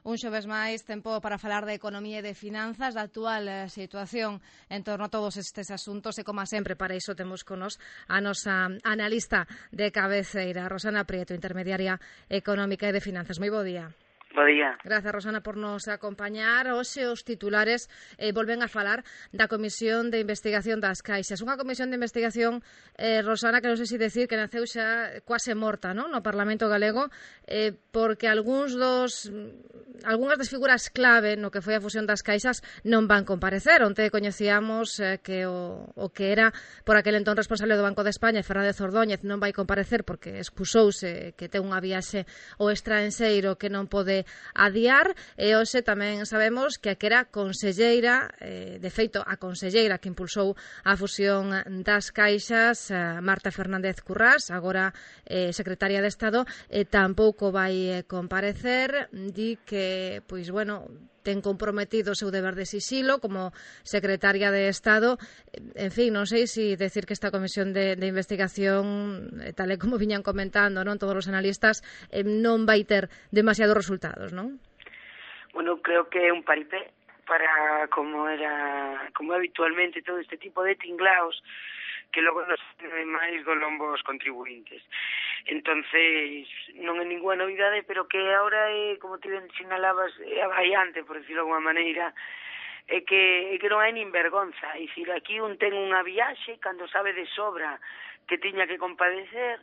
Un xoves máis, tempo para falar de economía e de finanzas, da actual situación en torno a todos estes asuntos, e como sempre para iso temos con nos a nosa analista de cabeceira, Rosana Prieto, intermediaria económica e de finanzas. Moi bo día. Bo día. Grazas, Rosana, por nos acompañar. Hoxe os titulares volven a falar da Comisión de Investigación das Caixas. Unha comisión de investigación, Rosana, que non sei se decir que naceu xa quase morta, non? No Parlamento galego, porque algunhas das figuras clave no que foi a fusión das Caixas non van comparecer. Onte coñecíamos que o que era por aquel entón responsable do Banco de España, Fernández Ordóñez, non vai comparecer porque excusouse que ten unha viaxe ao estranxeiro que non pode adiar, e hoxe tamén sabemos que a que era conselleira, de feito a conselleira que impulsou a fusión das Caixas, Marta Fernández Currás, agora secretaria de Estado, tampouco vai comparecer. Di que, pois, bueno, ten comprometido o seu deber de sisilo como secretaria de Estado. En fin, non sei se decir que esta comisión de investigación, tal e como viñan comentando, non, todos os analistas, non vai ter demasiados resultados, non? Bueno, creo que é un paripé para como habitualmente todo este tipo de tinglaos que logo nos máis do lombo os contribuintes. Entonces, non é ninguna novidade, pero que agora é, como ti ben sinalabas, é avallante, por decirlo de alguma maneira, é que non hai nin vergonza. É dicir, aquí un ten unha viaxe cando sabe de sobra que tiña que compadecer,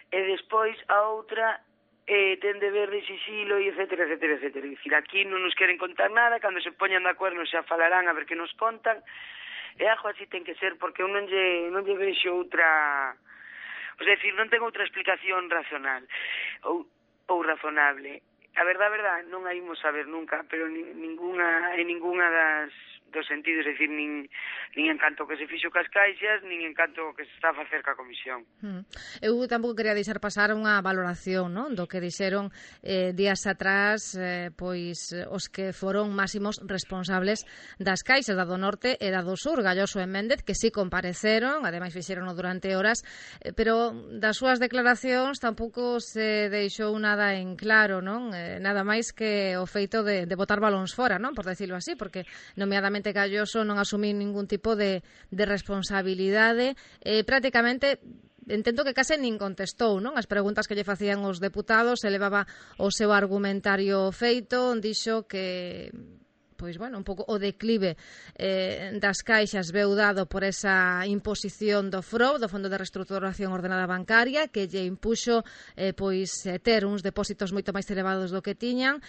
e despois a outra ten deber de sisilo, e etcétera, etcétera, etcétera. É dicir, aquí non nos queren contar nada, cando se poñan de acordo xa falarán a ver que nos contan, e algo así ten que ser, porque eu non lle vexo outra, é dicir, non ten outra explicación racional ou razonable. A verdade, non a imos saber nunca, pero ninguna dos sentidos, é dicir, nin en canto que se fixo cas Caixas, nin en canto que se está a facer ca comisión. Eu tampouco quería deixar pasar unha valoración, non, do que dixeron días atrás, pois os que foron máximos responsables das Caixas, da do Norte e da do Sur, Galloso e Méndez, que sí compareceron, ademais fixerono durante horas, pero das súas declaracións tampouco se deixou nada en claro, non? Nada máis que o feito de botar balóns fora, non, por decirlo así, porque nomeadamente Galloso non asumí ningún tipo de responsabilidade, prácticamente entendo que case nin contestou, non, as preguntas que lle facían os deputados, elevaba o seu argumentario feito, dixo que, pois, bueno, un pouco o declive das Caixas veu dado por esa imposición do FROB, do Fondo de Reestruturación Ordenada Bancaria, que lle impuxo ter uns depósitos moito máis elevados do que tiñan.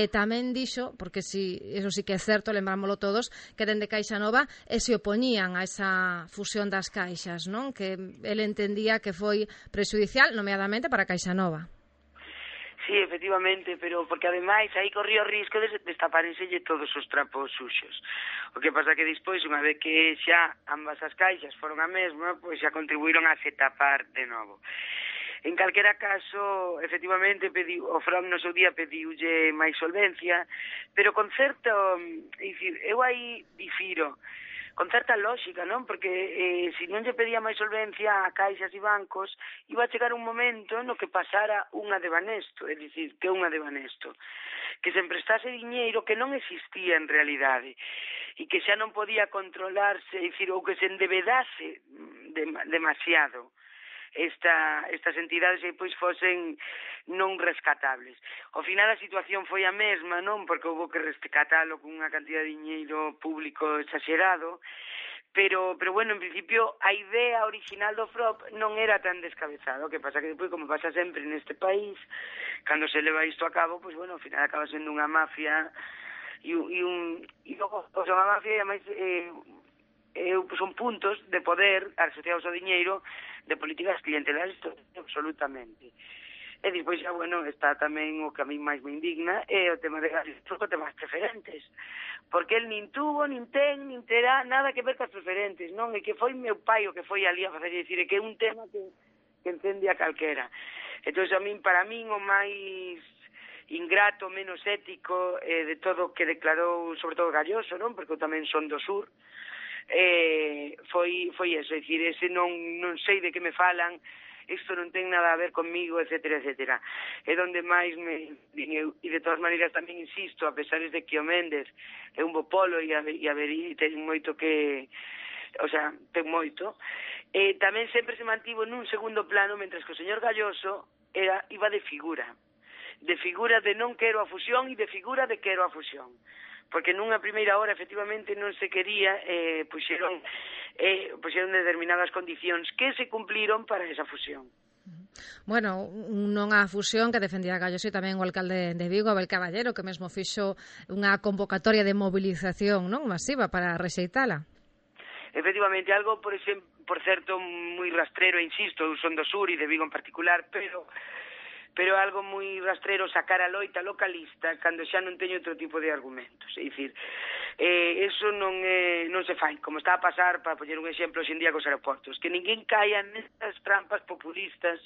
Tamén dixo, porque eso sí que é certo, lembrámoslo todos, que dende Caixa Nova se opoñían a esa fusión das Caixas, non? Que ele entendía que foi prexudicial, nomeadamente para Caixa Nova. Sí, efectivamente, pero porque ademais aí corría o risco de destaparenselle todos os trapos suxos. O que pasa que despois, unha vez que xa ambas as caixas foron a mesma, pois xa contribuíron a se tapar de novo. En calquera caso, efectivamente, o FROB no seu día pediulle máis solvencia, pero con certo, dicir, eu aí difiro, con certa lógica, non? Porque se non lle pedía máis solvencia a caixas e bancos, iba a chegar un momento no que pasara unha de Banesto, é dicir, que unha de Banesto, que se emprestase diñeiro que non existía en realidade, e que xa non podía controlarse, é dicir, ou que se endebedase demasiado estas entidades e pois fosen non rescatables. Ao final a situación foi a mesma, non? Porque houve que rescatalo con unha cantidad de diñeiro público exagerado, pero bueno, en principio a idea original do FROB non era tan descabezada. O que pasa que depois, como pasa sempre neste país, cando se leva isto a cabo, pois bueno, ao final acaba sendo unha mafia e logo, unha mafia e ademais son puntos de poder asociados ao diñeiro de políticas clientelares absolutamente. E despois xa, bueno, está tamén o que a mí máis me indigna é o tema de gastos con temas preferentes, porque el nin tuvo, nin ten, nin terá nada que ver cas preferentes, non? E que foi meu pai o que foi ali a facer, dicir, que é un tema que encende a calquera. Entón, para min o máis ingrato, menos ético de todo o que declarou, sobre todo Galloso, non? Porque eu tamén son do Sur, foi eso, é dicir, ese non sei de que me falan, isto non ten nada a ver conmigo, etcétera, etcétera. É donde máis me din eu, e de todas maneiras tamén insisto, a pesar de que o Méndez é un bo polo e ten moito que, o sea, ten moito, tamén sempre se mantivo nun segundo plano, mentres que o señor Galloso iba de figura de non quero a fusión e de figura de quero a fusión, porque nunha primeira hora efectivamente non se quería, puxeron determinadas condicións que se cumpliron para esa fusión. Bueno, non a fusión que defendía Galloso e tamén o alcalde de Vigo, Abel Caballero, que mesmo fixo unha convocatoria de movilización, non, masiva para rexeitala. Efectivamente, algo, por certo, moi rastrero, insisto, eu son do sur e de Vigo en particular, pero algo moi rastrero sacar a loita localista cando xa non teño outro tipo de argumentos. É dicir, eso non se fai, como está a pasar, para poñer un exemplo hoxe en día cos aeroportos, que ninguén caia nestas trampas populistas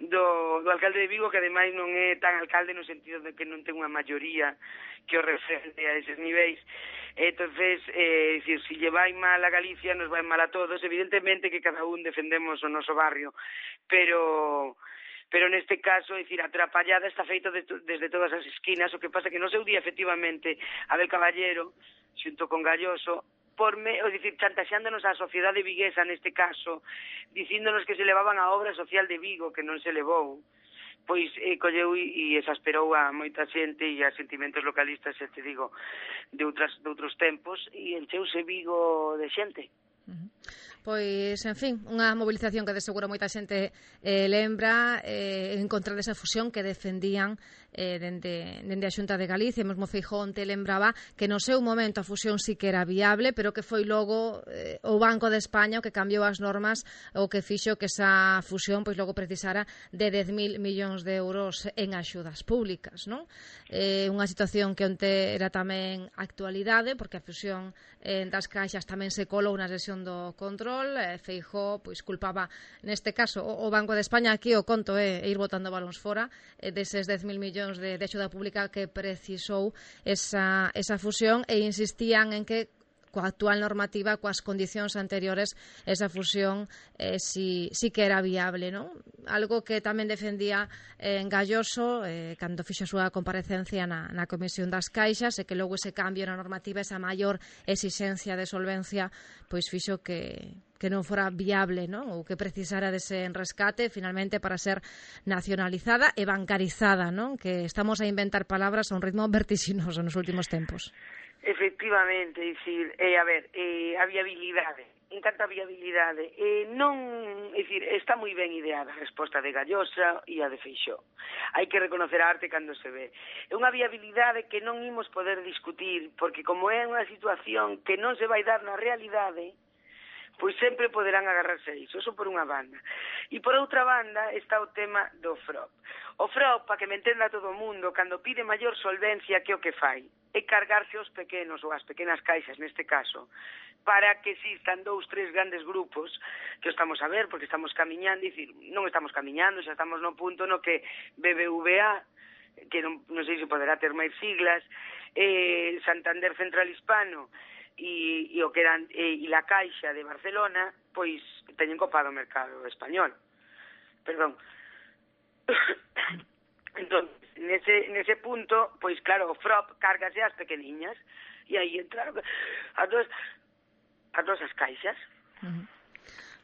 do alcalde de Vigo, que ademais non é tan alcalde no sentido de que non ten unha maioría que o refrende a eses niveis. Entonces, decir, si lle vai mal a Galicia, nos vai mal a todos. Evidentemente que cada un defendemos o noso barrio, pero neste caso, é dicir, a atrapallada está feita desde todas as esquinas. O que pasa que no seu día, efectivamente, Abel Caballero, xunto con Galloso, chantaxándonos a sociedade viguesa neste caso, dicíndonos que se levaban a obra social de Vigo, que non se levou, pois colleu e exasperou a moita xente e a sentimentos localistas, te digo, de outros tempos, e encheuse Vigo de xente. Pois, en fin, unha mobilización que de seguro moita xente lembra en contra desa fusión que defendían dende a Xunta de Galicia. Mesmo Feijóo onte lembraba que no seu momento a fusión sí que era viable, pero que foi logo o Banco de España o que cambiou as normas, o que fixo que esa fusión pois logo precisara de 10.000 millóns de euros en axudas públicas, non? Unha situación que onte era tamén actualidade, porque a fusión das caixas tamén se colou na sesión do control. Feijóo pois culpaba neste caso o Banco de España. Aquí o conto é ir botando balóns fora deses 10.000 millóns de axuda pública que precisou esa fusión, e insistían en que coa actual normativa, coas condicións anteriores, esa fusión sí que era viable, non? Algo que tamén defendía en Galloso cando fixo a súa comparecencia na Comisión das Caixas, e que logo ese cambio na normativa, esa maior exixencia de solvencia, pois fixo que non fora viable, non? Ou que precisara dese rescate finalmente para ser nacionalizada e bancarizada, non? Que estamos a inventar palabras a un ritmo vertiginoso nos últimos tempos. Efectivamente, dicir, a viabilidade, en canto a viabilidade, está moi ben ideada a resposta de Gallosa e a de Feixóo. Hai que reconocer a arte cando se ve. É unha viabilidade que non imos poder discutir, porque como é unha situación que non se vai dar na realidade, pois sempre poderán agarrarse a iso por unha banda. E por outra banda está o tema do FROP. O FROP, para que me entenda todo o mundo, cando pide maior solvencia, que o que fai? É cargarse os pequenos, ou as pequenas caixas neste caso, para que existan 2-3 grandes grupos, que estamos a ver, porque estamos camiñando, dicir, non estamos camiñando, xa estamos no punto no que BBVA, que non sei se poderá ter máis siglas, Santander Central Hispano, e o que eran la Caixa de Barcelona, pois teñen copado o mercado español. Perdón. Entón, nese punto, pois claro, o FROP cárgase as pequeniñas, e aí entraron as dos as caixas.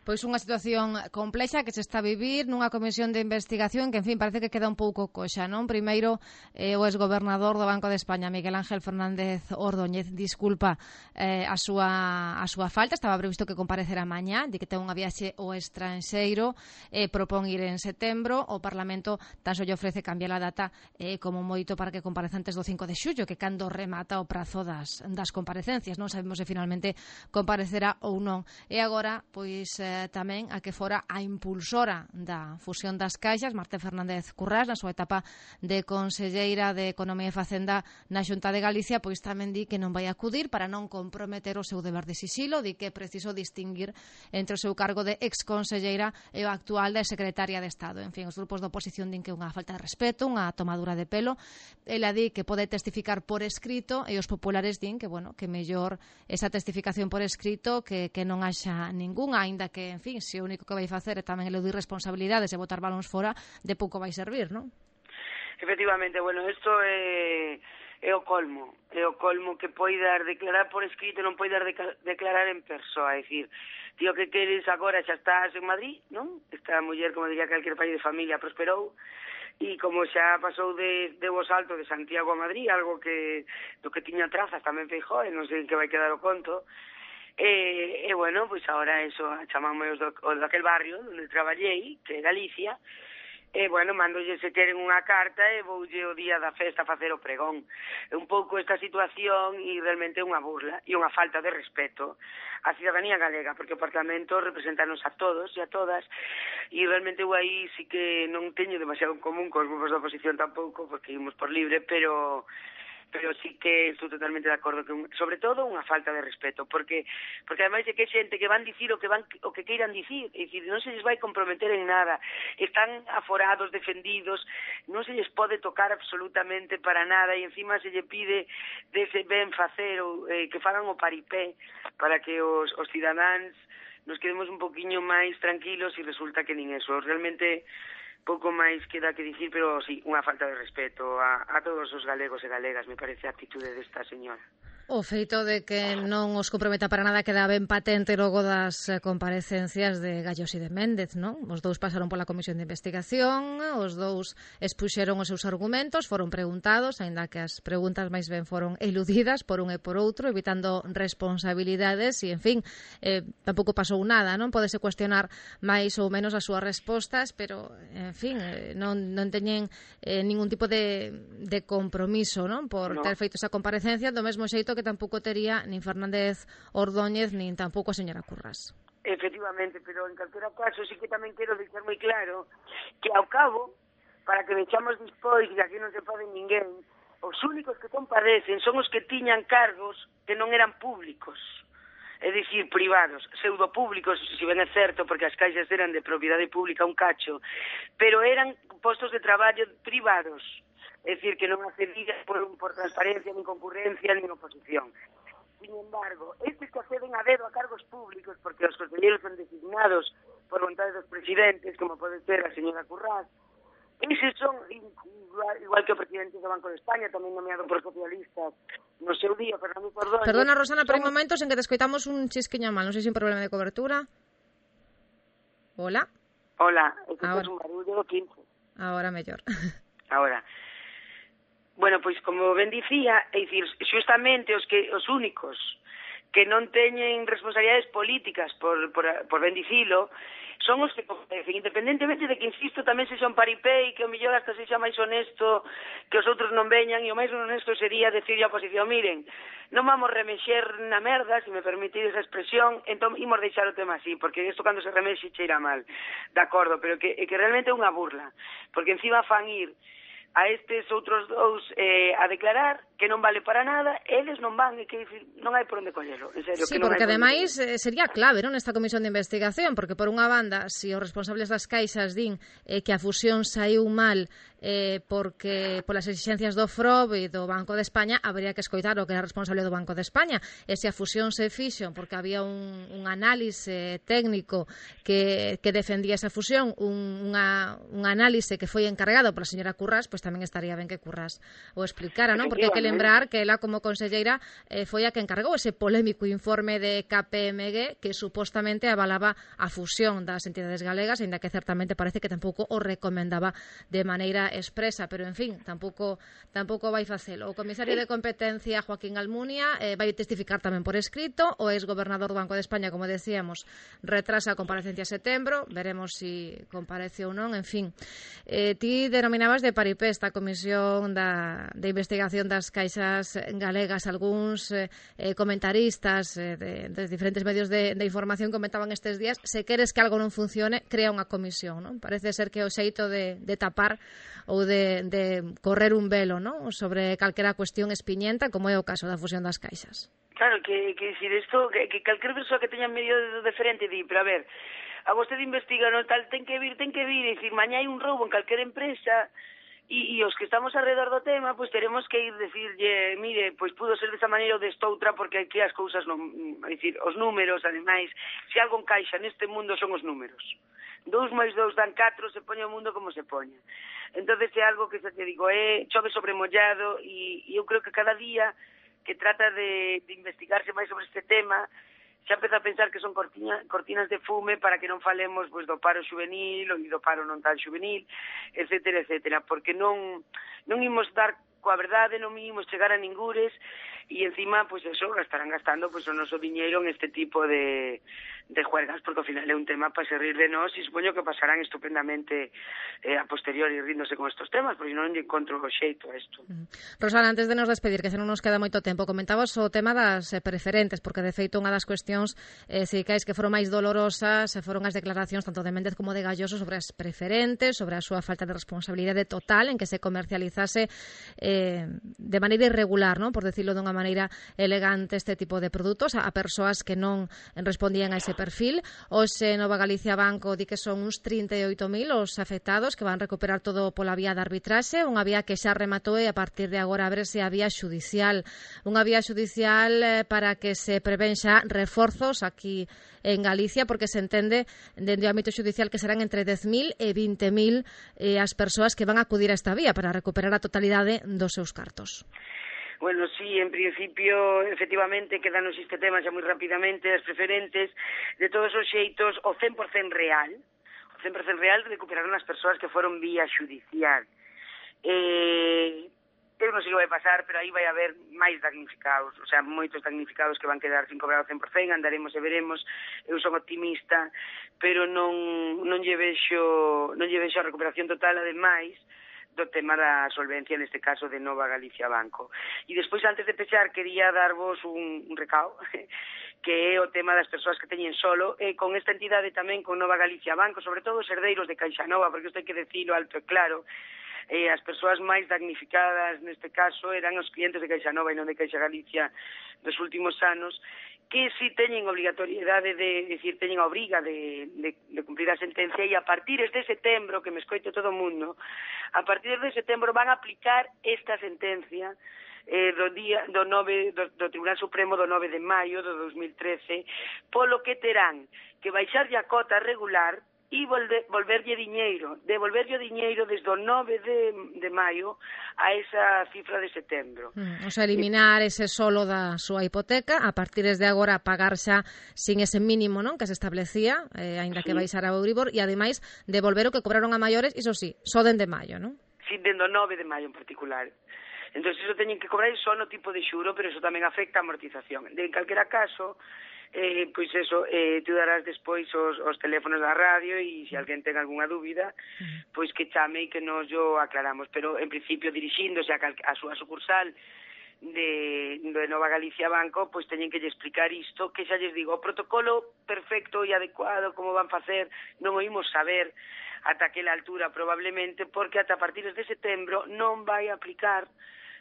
Pois unha situación complexa que se está a vivir nunha comisión de investigación que, en fin, parece que queda un pouco coxa, non? Primeiro, o exgobernador do Banco de España, Miguel Ángel Fernández Ordóñez, disculpa a súa falta. Estaba previsto que comparecera mañá, de que ten unha viaxe ao estranxeiro, propón ir en setembro. O Parlamento tan só lle ofrece cambiar a data como moito para que comparece antes do 5 de xullo, que cando remata o prazo das comparecencias. Non sabemos se finalmente comparecerá ou non. E agora, pois, tamén a que fora a impulsora da fusión das caixas, Marta Fernández Currás, na súa etapa de conselleira de Economía e Facenda na Xunta de Galicia, pois tamén di que non vai acudir para non comprometer o seu deber de sisilo, di que é preciso distinguir entre o seu cargo de exconselleira e o actual de secretaria de Estado. En fin, os grupos da oposición din que é unha falta de respeto, unha tomadura de pelo. Ela di que pode testificar por escrito, e os populares din que, bueno, que mellor esa testificación por escrito que non haxa ningunha, aínda que que, en fin, se o único que vai facer é tamén eludir responsabilidades e botar balóns fora, de pouco vai servir, non? Efectivamente, bueno, isto é o colmo que poidas declarar por escrito, non poidas declarar en persoa, é dicir, tío, que queres agora, xa estás en Madrid, non? Esta muller, como diría calquer pai de familia, prosperou, e como xa pasou de vos alto de Santiago a Madrid, algo que do que tiña trazas tamén Feijóo, e non sei en que vai quedar o conto, e bueno, pois agora eso, chamamos os daquel barrio onde traballei, que é Galicia, e, bueno, mandolle se queren unha carta e voulle o día da festa a facer o pregón. É un pouco esta situación e realmente é unha burla e unha falta de respeto á cidadanía galega, porque o Parlamento representanos a todos e a todas, e realmente eu aí sí que non teño demasiado en común cos grupos da oposición tampouco, porque imos por libre, pero sí que estou totalmente de acordo que sobre todo unha falta de respeto, porque ademais de que xente que van dicir o que queiran dicir, é dicir, non se lles vai comprometer en nada, están aforados, defendidos, non se lles pode tocar absolutamente para nada, e encima se lle pide dese ben facer ou que fagan o paripé para que os cidadáns nos quedemos un poquinho máis tranquilos, e resulta que nin eso. Realmente pouco máis queda que dicir, pero sí, unha falta de respeto a todos os galegos e galegas, me parece a actitude desta señora. O feito de que non os comprometa para nada queda ben patente logo das comparecencias de Gallos e de Méndez, non? Os dous pasaron pola comisión de investigación, os dous expuxeron os seus argumentos, foron preguntados, aínda que as preguntas máis ben foron eludidas por un e por outro, evitando responsabilidades e, en fin, tampouco pasou nada, non? Pódese cuestionar máis ou menos as súas respostas, pero, en fin, non teñen ningún tipo de compromiso, non? Por ter feito esa comparecencia, do mesmo xeito que tampouco tería nin Fernández Ordóñez nin tampouco a señora Currás. Efectivamente, pero en calquera caso sí que tamén quero deixar moi claro que ao cabo, para que vexamos despois que aquí non se pode ninguén, os únicos que compadecen son os que tiñan cargos que non eran públicos, é dicir, privados, pseudopúblicos, se ben é certo, porque as caixas eran de propiedade pública un cacho, pero eran postos de traballo privados, é dicir, que non accedían por transparencia, nin concurrencia, nin oposición. Sin embargo, estes que acceden a dedo a cargos públicos, porque os conselleiros son designados por vontade dos presidentes, como pode ser a señora Currás, eses son, igual que o presidente do Banco de España, tamén nomeado por socialistas, no seu día, Fernando Ordóñez. Perdona, Rosana, pero hai momentos en que te escoitamos un chisquiña mal, non sei se é un problema de cobertura. Hola? Hola, é que é un barullo 15. Ahora mellor. Ahora. Bueno, pois como ben dicía, é dicir, xustamente os únicos que non teñen responsabilidades políticas por ben dicilo, son os que compadecen, independentemente de que, insisto, tamén se son paripé e que o mellor hasta se xa máis honesto que os outros non veñan, e o máis honesto sería decir a oposición, miren, non vamos remexer na merda, se me permitides a expresión, entón imos deixar o tema así, porque isto cando se remexe cheira mal, de acordo, pero que realmente é unha burla, porque encima fan ir a estes outros dous a declarar que non vale para nada, eles non van, e que non hai por onde collelo, en serio. Sí, que non porque ademais sería clave, non, esta comisión de investigación, porque por unha banda, se os responsables das caixas din que a fusión saiu mal porque polas exigencias do FROB e do Banco de España, habría que escoitar o que era responsable do Banco de España, e se a fusión se fixo porque había un análise técnico que defendía esa fusión, un análise que foi encargado pola señora Currás, pois tamén estaría ben que Currás o explicara, non? Porque hai que lembrar que ela como conselleira foi a que encargou ese polémico informe de KPMG que supostamente avalaba a fusión das entidades galegas, ainda que certamente parece que tampouco o recomendaba de maneira expresa, pero en fin, tampouco vai facelo. O comisario de competencia, Joaquín Almunia, vai testificar tamén por escrito, o ex-gobernador do Banco de España, como decíamos, retrasa a comparecencia a setembro, veremos si comparece ou non, en fin. Ti denominabas de paripé esta comisión de investigación das caixas galegas. Algúns comentaristas de diferentes medios de información comentaban estes días, se queres que algo non funcione, crea unha comisión, non? Parece ser que o xeito de tapar ou de correr un velo, non? Sobre calquera cuestión espiñenta, como é o caso da fusión das caixas. Claro, que decir isto, que calquer persoa que teña medio de diferente di, pero a ver, a vostede investiga, non tal, ten que vir, e dicir, mañá hai un roubo en calquer empresa, E os que estamos alrededor do tema, pois teremos que ir decirlle, mire, pois pudo ser desta maneira ou desta outra, porque aquí as cousas non, é dicir, os números, ademais, se algo encaixa neste mundo son os números. 2 máis 2 dan 4, se poña o mundo como se poña. Entonces é algo que, xa te digo, chove sobre mollado, e eu creo que cada día que trata de investigarse máis sobre este tema, xa empeza a pensar que son cortinas de fume para que non falemos pois, do paro juvenil ou do paro non tan juvenil, etcétera, etcétera, porque non imos dar coa verdade, non imos chegar a ningures, e encima, pois eso, estarán gastando pois, o noso diñeiro en este tipo de juergas, porque ao final é un tema para se rir de nós, e supoño que pasarán estupendamente a posteriori ríndose con estos temas, porque non lle encontro o xeito a isto. Rosana, antes de nos despedir, que xa non nos queda moito tempo, comentabas o tema das preferentes, porque de feito unha das cuestións sindicais que foron máis dolorosas foron as declaracións tanto de Méndez como de Galloso sobre as preferentes, sobre a súa falta de responsabilidade total en que se comercializase de maneira irregular, ¿no? Por decirlo dunha maneira elegante, este tipo de produtos a persoas que non respondían a ese perfil. Hoxe Nova Galicia Banco di que son uns 38.000 os afectados que van recuperar todo pola vía de arbitraxe, unha vía que xa rematou e a partir de agora a ver se a vía xudicial. Unha vía xudicial para que se prevén xa reforzos aquí en Galicia, porque se entende dende o ámbito xudicial que serán entre 10.000 e 20.000 as persoas que van a acudir a esta vía para recuperar a totalidade dos seus cartos. Bueno, sí, en principio, efectivamente, quedan nos este tema xa moi rapidamente, as preferentes, de todos os xeitos, o 100% real recuperaron as persoas que foron vía xudicial. Eu non sei o que vai pasar, pero aí vai haber máis damnificados, o sea, moitos damnificados que van quedar sin cobrar o 100%, andaremos e veremos. Eu son optimista, pero non lle vexo a recuperación total, ademais do tema da solvencia, neste caso de Nova Galicia Banco. E despois, antes de pechar, quería darvos un recao, que é o tema das persoas que teñen solo, e con esta entidade tamén, con Nova Galicia Banco, sobre todo os herdeiros de Caixa Nova, porque isto hai que decirlo alto e claro, as persoas máis damnificadas neste caso eran os clientes de Caixa Nova e non de Caixa Galicia dos últimos anos, que si teñen obrigatoriedade teñen a obriga de cumprir a sentencia, e a partir de setembro, que me escoite todo o mundo, a partir de setembro van a aplicar esta sentencia do Tribunal Supremo do 9 de maio do 2013, polo que terán que baixarlle a cota regular e devolverlle diñeiro desde o 9 de maio a esa cifra de setembro. O sea, eliminar ese solo da súa hipoteca, a partir de agora pagar xa sin ese mínimo, non, que se establecía, aínda que baixara o Euribor, e ademais devolver o que cobraron a maiores, iso sí, só dende maio, non? Sí, dende o 9 de maio en particular. Entón, iso teñen que cobrar só no tipo de xuro, pero iso tamén afecta a amortización. En calquera caso, pois eso, tú darás despois os teléfonos da radio, e se alguén ten algunha dúbida, pois que chame e que nos yo aclaramos. Pero, en principio, dirixíndose a súa sucursal de Nova Galicia Banco, pois teñen que lle explicar isto, que xa lles digo, o protocolo perfecto e adecuado, como van facer, non o imos saber ata aquela altura probablemente, porque ata a partir de setembro non vai aplicar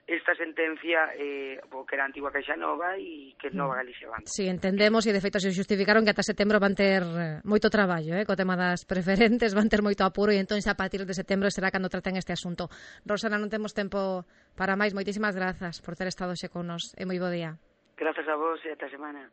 esta sentencia que era a antigua Caixa Nova e que é Nova Galicia Banco. Sí, entendemos, e de feito se justificaron que ata setembro van ter moito traballo, co tema das preferentes, van ter moito apuro, e entón xa a partir de setembro será cando traten este asunto. Rosana, non temos tempo para máis, moitísimas grazas por ter estado xe con nos, e moi bo día. Grazas a vos e ata semana.